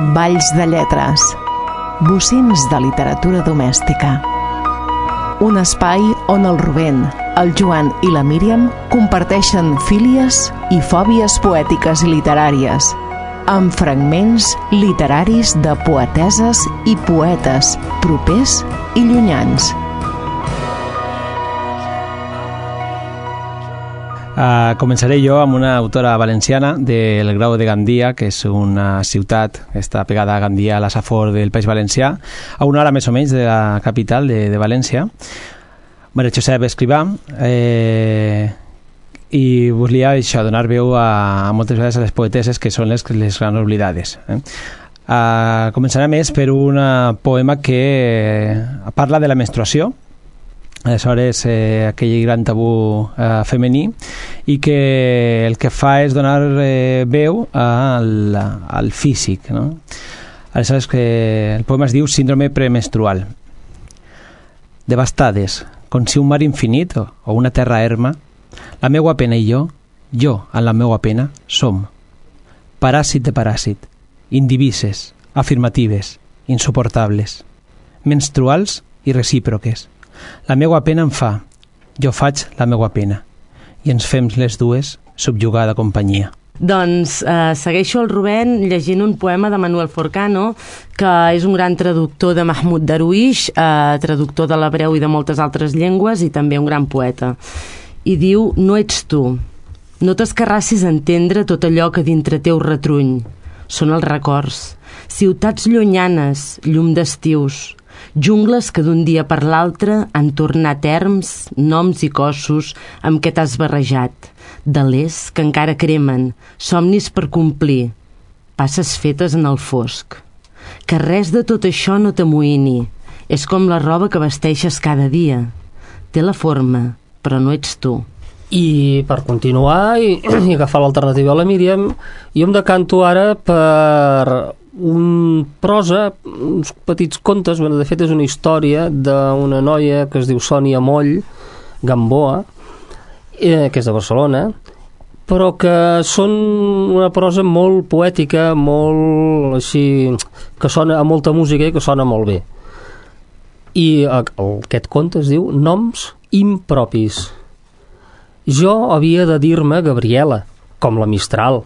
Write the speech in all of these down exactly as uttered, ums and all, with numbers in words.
Balls de lletres, bocins de literatura domèstica. Un espai on el Rubén, el Joan i la Míriam comparteixen fílies i fòbies poètiques i literàries, amb fragments literaris de poeteses i poetes propers i llunyans. Uh, començaré jo amb una autora valenciana del Grau de Gandia, que és una ciutat que està pegada a Gandia, a la Safor del País Valencià, a una hora més o menys de la capital de, de València. Maria Josep Escrivà, eh, i volia això, donar veu a, a moltes vegades a les poeteses que són les, les grans oblidades. Eh? Uh, començaré més per un poema que parla de la menstruació, aleshores eh, aquell gran tabú eh, femení, i que el que fa és donar eh, veu al, al físic, no? Aleshores que el poema es diu Síndrome premenstrual. Devastades, com si un mar infinit o una terra erma, la meua pena i jo, jo en la meua pena, som paràsit de paràsit, indivises, afirmatives, insuportables, menstruals i recíproques. La meua pena em fa, jo faig la meua pena, i ens fem les dues subjugada companyia. Doncs eh, segueixo el Rubén llegint un poema de Manuel Forcano, que és un gran traductor de Mahmoud Darwish, eh, traductor de l'hebreu i de moltes altres llengües, i també un gran poeta. I diu: no ets tu, no t'escarrassis a entendre tot allò que dintre teu retruny. Són els records, ciutats llunyanes, llum d'estius, jungles que d'un dia per l'altre han tornat erms, noms i cossos amb què t'has barrejat, delers que encara cremen, somnis per complir, passes fetes en el fosc. Que res de tot això no t'amoïni, és com la roba que vesteixes cada dia. Té la forma, però no ets tu. I per continuar i, i agafar l'alternativa a la Míriam, jo em decanto ara per un prosa, uns petits contes. Bueno, de fet és una història d'una noia que es diu Sònia Moll Gamboa, eh, que és de Barcelona, però que són una prosa molt poètica, molt així, que sona a molta música i que sona molt bé. I aquest conte es diu Noms impropis. Jo havia de dir-me Gabriela, com la Mistral,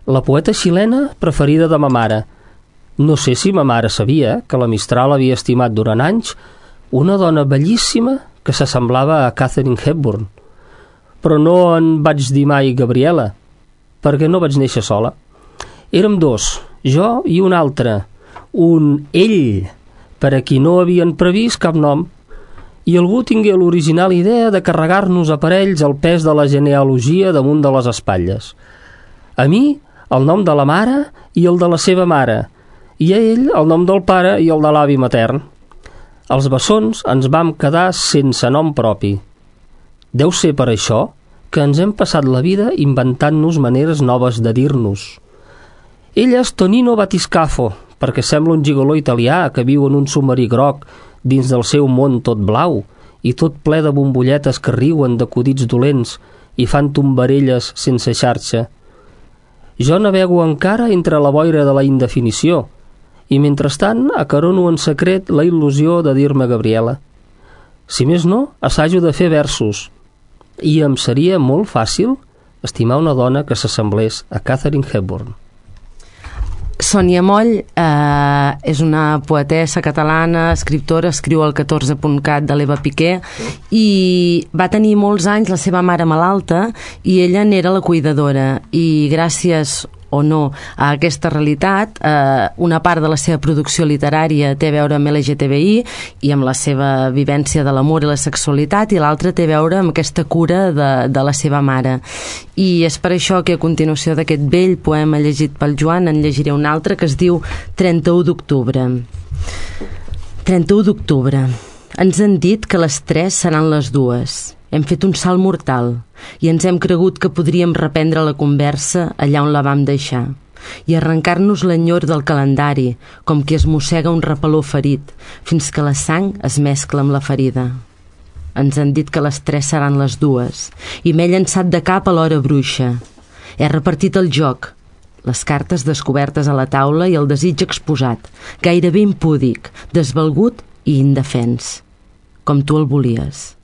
la poeta xilena preferida de ma mare. No sé si ma mare sabia que la Mistral havia estimat durant anys una dona bellíssima que s'assemblava a Katharine Hepburn. Però no en vaig dir mai Gabriela, perquè no vaig néixer sola. Érem dos, jo i un altre, un ell, per a qui no havien previst cap nom, i algú tingué l'original idea de carregar-nos a parells el pes de la genealogia damunt de les espatlles. A mi, el nom de la mare i el de la seva mare, i a ell el nom del pare i el de l'avi matern. Els bessons ens vam quedar sense nom propi. Deu ser per això que ens hem passat la vida inventant-nos maneres noves de dir-nos. Ell és Tonino Batiscafo, perquè sembla un gigoló italià que viu en un submarí groc dins del seu món tot blau i tot ple de bombolletes que riuen d'acudits dolents i fan tombarelles sense xarxa. Jo navego encara entre la boira de la indefinició i, mentrestant, acarono en secret la il·lusió de dir-me Gabriela. Si més no, assajo de fer versos, i em seria molt fàcil estimar una dona que s'assemblés a Katharine Hepburn. Sònia Moll eh, és una poetessa catalana, escriptora, escriu al catorze punt cat de l'Eva Piqué, i va tenir molts anys la seva mare malalta i ella n'era la cuidadora, i gràcies o no a aquesta realitat, eh, una part de la seva producció literària té a veure amb L G T B I i amb la seva vivència de l'amor i la sexualitat, i l'altra té a veure amb aquesta cura de, de la seva mare. I és per això que a continuació d'aquest vell poema llegit pel Joan en llegiré un altre que es diu trenta-u d'octubre. trenta-u d'octubre. Ens han dit que les tres seran les dues. Hem fet un salt mortal i ens hem cregut que podríem reprendre la conversa allà on la vam deixar i arrencar-nos l'enyor del calendari, com qui es mossega un repeló ferit, fins que la sang es mescla amb la ferida. Ens han dit que les tres seran les dues i m'he llançat de cap a l'hora bruixa. He repartit el joc, les cartes descobertes a la taula i el desig exposat, gairebé impúdic, desvalgut i indefens, com tu el volies.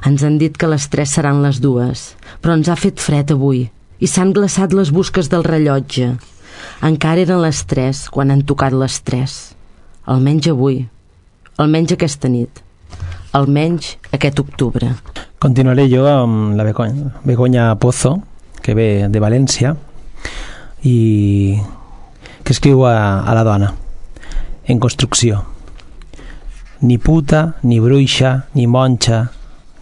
Ens han dit que les tres seran les dues, però ens ha fet fred avui i s'han glaçat les busques del rellotge. Encara eren les tres quan han tocat les tres. Almenys avui, almenys aquesta nit, almenys aquest octubre. Continuaré jo amb la Begoña, Begoña Pozo, que ve de València i que escriu a, a la dona en construcció. Ni puta, ni bruixa, ni monja,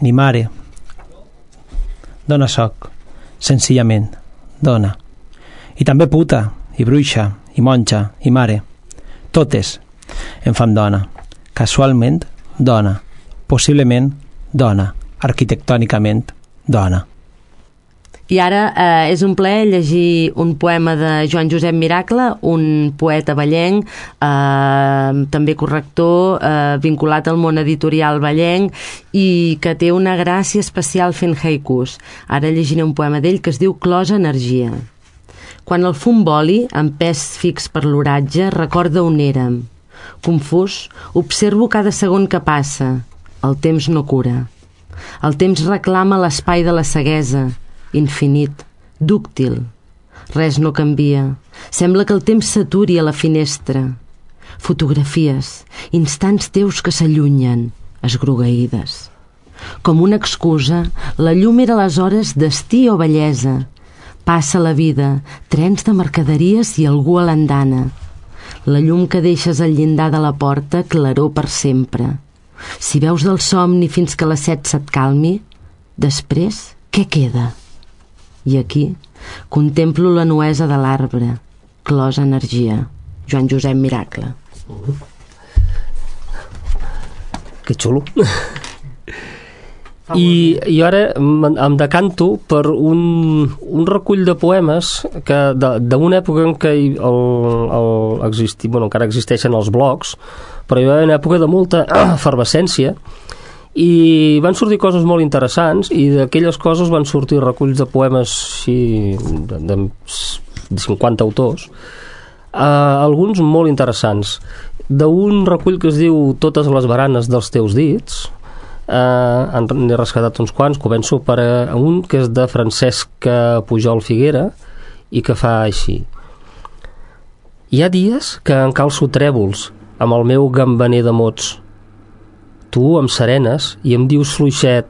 ni mare. Dona soc, senzillament, dona. I també puta, i bruixa, i monja, i mare. Totes em fan dona. Casualment, dona. Possiblement, dona. Arquitectònicament, dona. I ara eh, és un plaer llegir un poema de Joan Josep Miracle, un poeta vallenc, eh, també corrector, eh, vinculat al món editorial vallenc i que té una gràcia especial fent haikus. Ara llegiré un poema d'ell que es diu Closa Energia. Quan el fum voli, amb pes fix per l'oratge, recorda on érem. Confús, observo cada segon que passa. El temps no cura. El temps reclama l'espai de la ceguesa, infinit, dúctil. Res no canvia. Sembla que el temps s'aturi a la finestra. Fotografies, instants teus que s'allunyen, esgrogueïdes. Com una excusa, la llum era aleshores destí o bellesa. Passa la vida, trens de mercaderies i algú a l'andana. La llum que deixes al llindar de la porta, claror per sempre. Si veus del somni fins que la set se't calmi, després, què queda? I aquí contemplo la nuesa de l'arbre, closa energia. Joan Josep Miracle. Uh-huh. Que xulo. I, i ara em decanto per un, un recull de poemes que d'una època en què el, el existi, bueno, encara existeixen els blogs, però hi va haver una època de molta efervescència i van sortir coses molt interessants i d'aquelles coses van sortir reculls de poemes sí, de, de cinquanta autors, uh, alguns molt interessants. D'un recull que es diu Totes les baranes dels teus dits, uh, n'he rescatat uns quants. Començo per uh, un que és de Francesc Pujol Figuera i que fa així: hi ha dies que encalço trèvols amb el meu gambaner de mots. Tu em serenes i em dius fluixet: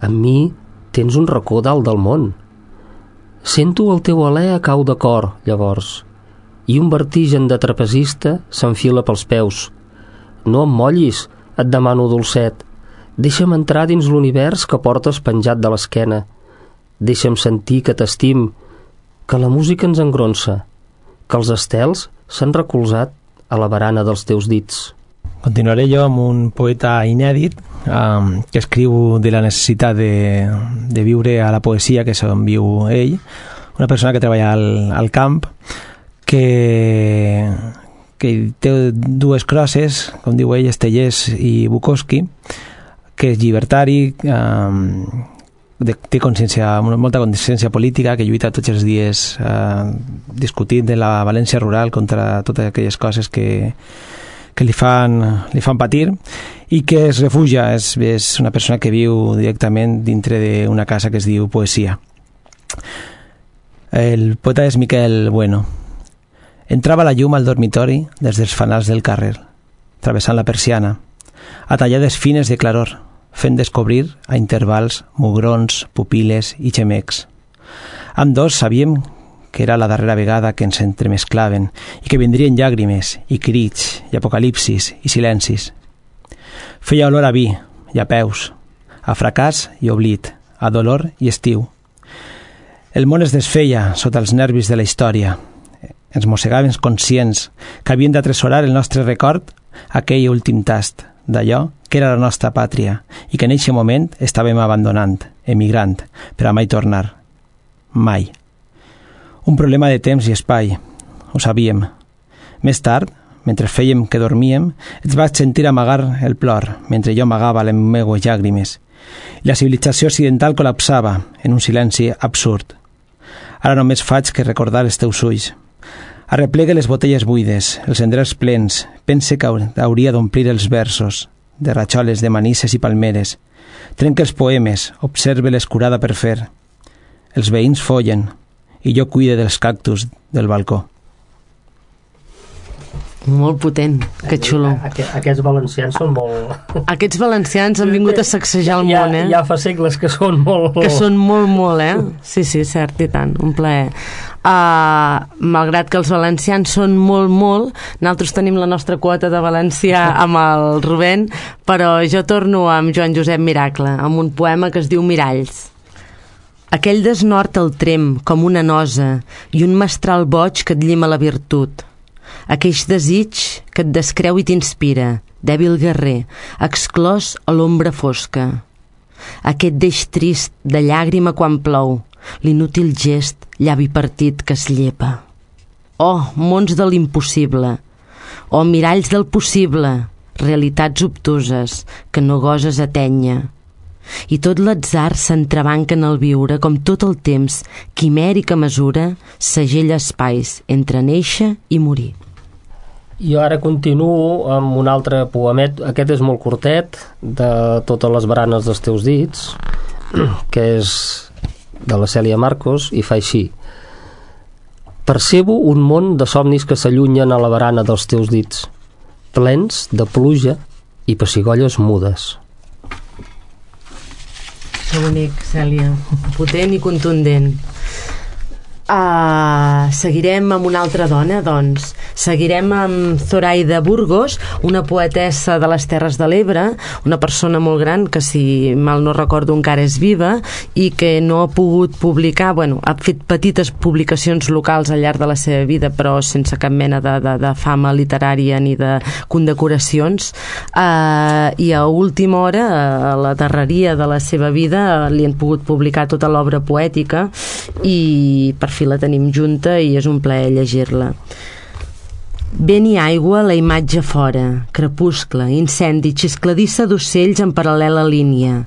amb mi tens un racó dalt del món. Sento el teu alè a cau de cor, llavors, i un vertigen de trapezista s'enfila pels peus. No em mollis, et demano dolcet. Deixa'm entrar dins l'univers que portes penjat de l'esquena. Deixa'm sentir que t'estim, que la música ens engronsa, que els estels s'han recolzat a la barana dels teus dits. Continuaré jo amb un poeta inèdit um, que escriu de la necessitat de, de viure a la poesia, que és on viu ell, una persona que treballa al, al camp, que, que té dues crosses, com diu ell, Estellers i Bukowski, que és llibertari, um, de, té consciència, molta consciència política, que lluita tots els dies uh, discutint de la València rural contra totes aquelles coses que que li fan, li fan patir i que es refugia, és, és una persona que viu directament dintre d'una casa que es diu Poesia. El poeta és Miquel Bueno. Entrava la llum al dormitori des dels fanals del carrer, travessant la persiana, a tallades fines de claror, fent descobrir a intervals mugrons, pupil·les i xemecs. Amb dos sabíem que era la darrera vegada que ens entremesclaven i que vindrien llàgrimes i crits i apocalipsis i silencis. Feia olor a vi i a peus, a fracàs i oblit, a dolor i estiu. El món es desfeia sota els nervis de la història. Ens mossegàvem conscients que havien d'atresorar el nostre record aquell últim tast d'allò que era la nostra pàtria i que en eixe moment estàvem abandonant, emigrant, per a mai tornar. Mai. Un problema de temps i espai, ho sabíem. Més tard, mentre fèiem que dormíem, ens vaig sentir amagar el plor, mentre jo amagava les meues llàgrimes. I la civilització occidental col·lapsava en un silenci absurd. Ara només faig que recordar els teus ulls. Arreplegue les botelles buides, els cendrers plens, pense que hauria d'omplir els versos, de ratxoles, de manisses i palmeres. Trenca els poemes, observe l'escurada per fer. Els veïns follen, i jo cuide dels cactus del balcó. Molt potent, que xulo. Aquest, aquests valencians són molt... Aquests valencians han vingut a sacsejar el ja, món, eh? Ja fa segles que són molt... Que són molt, molt, eh? Sí, sí, cert, i tant, un plaer. Uh, malgrat que els valencians són molt, molt, nosaltres tenim la nostra quota de valencià amb el Rubén, però jo torno amb Joan Josep Miracle, amb un poema que es diu Miralls. Aquell desnord el trem com una nosa i un mestral boig que et llima la virtut. Aqueix desig que et descreu i t'inspira, dèbil guerrer, exclòs a l'ombra fosca. Aquest deix trist de llàgrima quan plou, l'inútil gest, llavi partit que es llepa. Oh, mons de l'impossible! Oh, miralls del possible! Realitats obtuses que no goses atènyer. I tot l'atzar s'entrebanca en el viure com tot el temps, quimèrica mesura, segella espais entre néixer i morir. Jo ara continuo amb un altre poemet, aquest és molt curtet, de totes les baranes dels teus dits, que és de la Cèlia Marcos, i fa així. Percebo un món de somnis que s'allunyen a la barana dels teus dits, plens de pluja i pessigolles mudes. Que bonic, Cèlia. Potent i contundent. Uh, seguirem amb una altra dona, doncs. Seguirem amb Zoraida Burgos, una poetessa de les Terres de l'Ebre, una persona molt gran que, si mal no recordo, encara és viva i que no ha pogut publicar, bueno, ha fet petites publicacions locals al llarg de la seva vida, però sense cap mena de, de, de fama literària ni de condecoracions. Uh, I a última hora, a la darreria de la seva vida, li han pogut publicar tota l'obra poètica i per fi la tenim junta i és un plaer llegir-la. Vent i aigua, la imatge fora, crepuscle, incendi, xiscladissa d'ocells en paral·lela línia.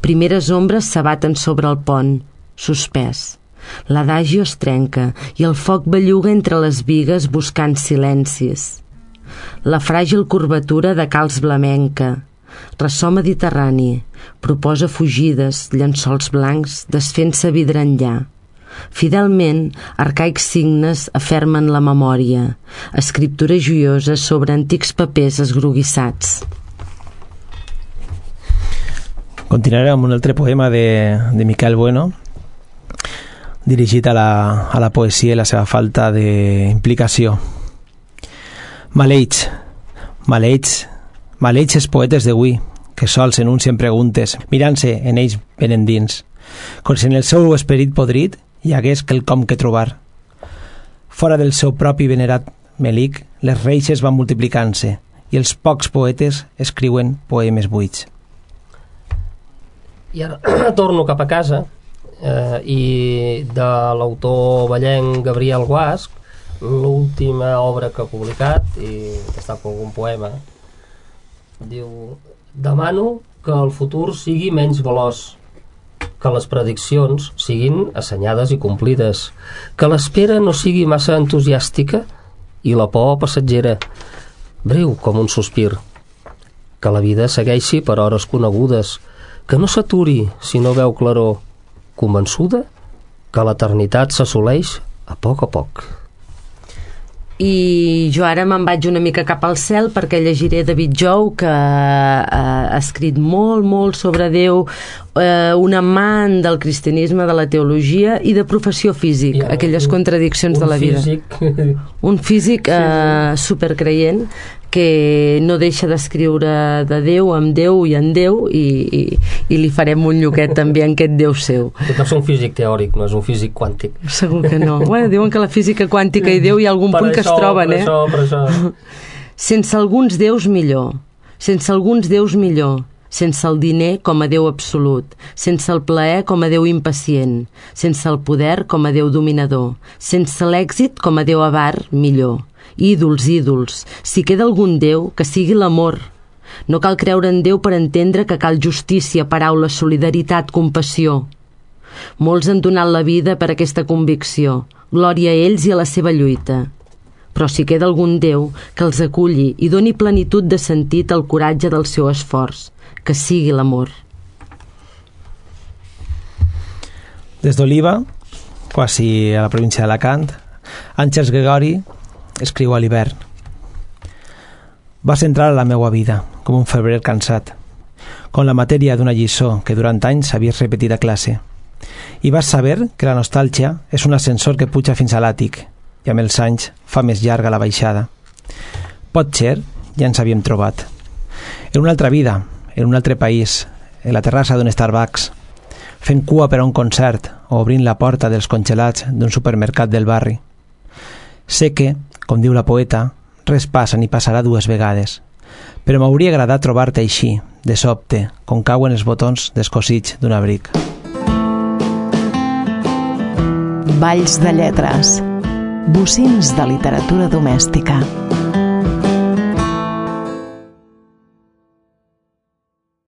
Primeres ombres s'abaten sobre el pont, suspès. L'adagio es trenca i el foc belluga entre les bigues buscant silencis. La fràgil curvatura de calç blamenca, ressò mediterrani, proposa fugides, llençols blancs, desfent-se vidre enllà. Fidelment, arcaics signes afermen la memòria, escriptures joioses sobre antics papers esgroguissats. Continuaré amb un altre poema de, de Miquel Bueno, dirigit a la, a la poesia i la seva falta d'implicació. Maleïts, maleïts, maleïts els poetes d'avui, que sols enuncien preguntes, mirant-se en ells ben endins, com si en el seu esperit podrit hi hagués quelcom que trobar. Fora del seu propi venerat melic, les reixes van multiplicant-se i els pocs poetes escriuen poemes buits. I ara torno cap a casa eh, i de l'autor ballenc Gabriel Guasch, l'última obra que ha publicat, i està per algun poema, diu: demano que el futur sigui menys veloç, que les prediccions siguin assenyades i complides, que l'espera no sigui massa entusiàstica i la por passatgera, breu com un sospir, que la vida segueixi per hores conegudes, que no s'aturi si no veu claror, convençuda que l'eternitat s'assoleix a poc a poc. I jo ara me'n vaig una mica cap al cel perquè llegiré David Jou, que ha escrit molt, molt sobre Déu, eh, un amant del cristianisme, de la teologia i de professió físic, ja, aquelles un, contradiccions de la vida. Físic. Un físic eh, supercreient que no deixa d'escriure de Déu amb Déu i en Déu i, i, i li farem un lloquet també en aquest Déu seu. Però és un físic teòric, no és un físic quàntic. Segur que no. Bueno, diuen que la física quàntica i Déu hi ha algun per punt això, que es troben, per eh? Això, per això. Sense alguns déus millor, sense alguns déus millor, sense el diner com a Déu absolut, sense el plaer com a Déu impacient, sense el poder com a Déu dominador, sense l'èxit com a Déu avar millor. Ídols, ídols, si queda algun Déu, que sigui l'amor. No cal creure en Déu per entendre que cal justícia, paraula, solidaritat, compassió. Molts han donat la vida per aquesta convicció. Glòria a ells i a la seva lluita. Però si queda algun Déu que els aculli i doni plenitud de sentit al coratge del seu esforç, que sigui l'amor. Des d'Oliva, quasi a la província d'Alacant, Àngels Gregori escriu a l'hivern: vas entrar a la meua vida com un febrer cansat, com la matèria d'una lliçó que durant anys havies repetit a classe, i vas saber que la nostàlgia és un ascensor que puja fins a l'àtic i amb els anys fa més llarga la baixada. Potser ja ens havíem trobat en una altra vida, en un altre país, en la terrassa d'un Starbucks, fent cua per a un concert o obrint la porta dels congelats d'un supermercat del barri. Sé que, com diu la poeta, res passa ni passarà dues vegades, però m'hauria agradat trobar-te així, de sobte, com cauen els botons descosits d'un abric. Valls de lletres, bocins de literatura domèstica.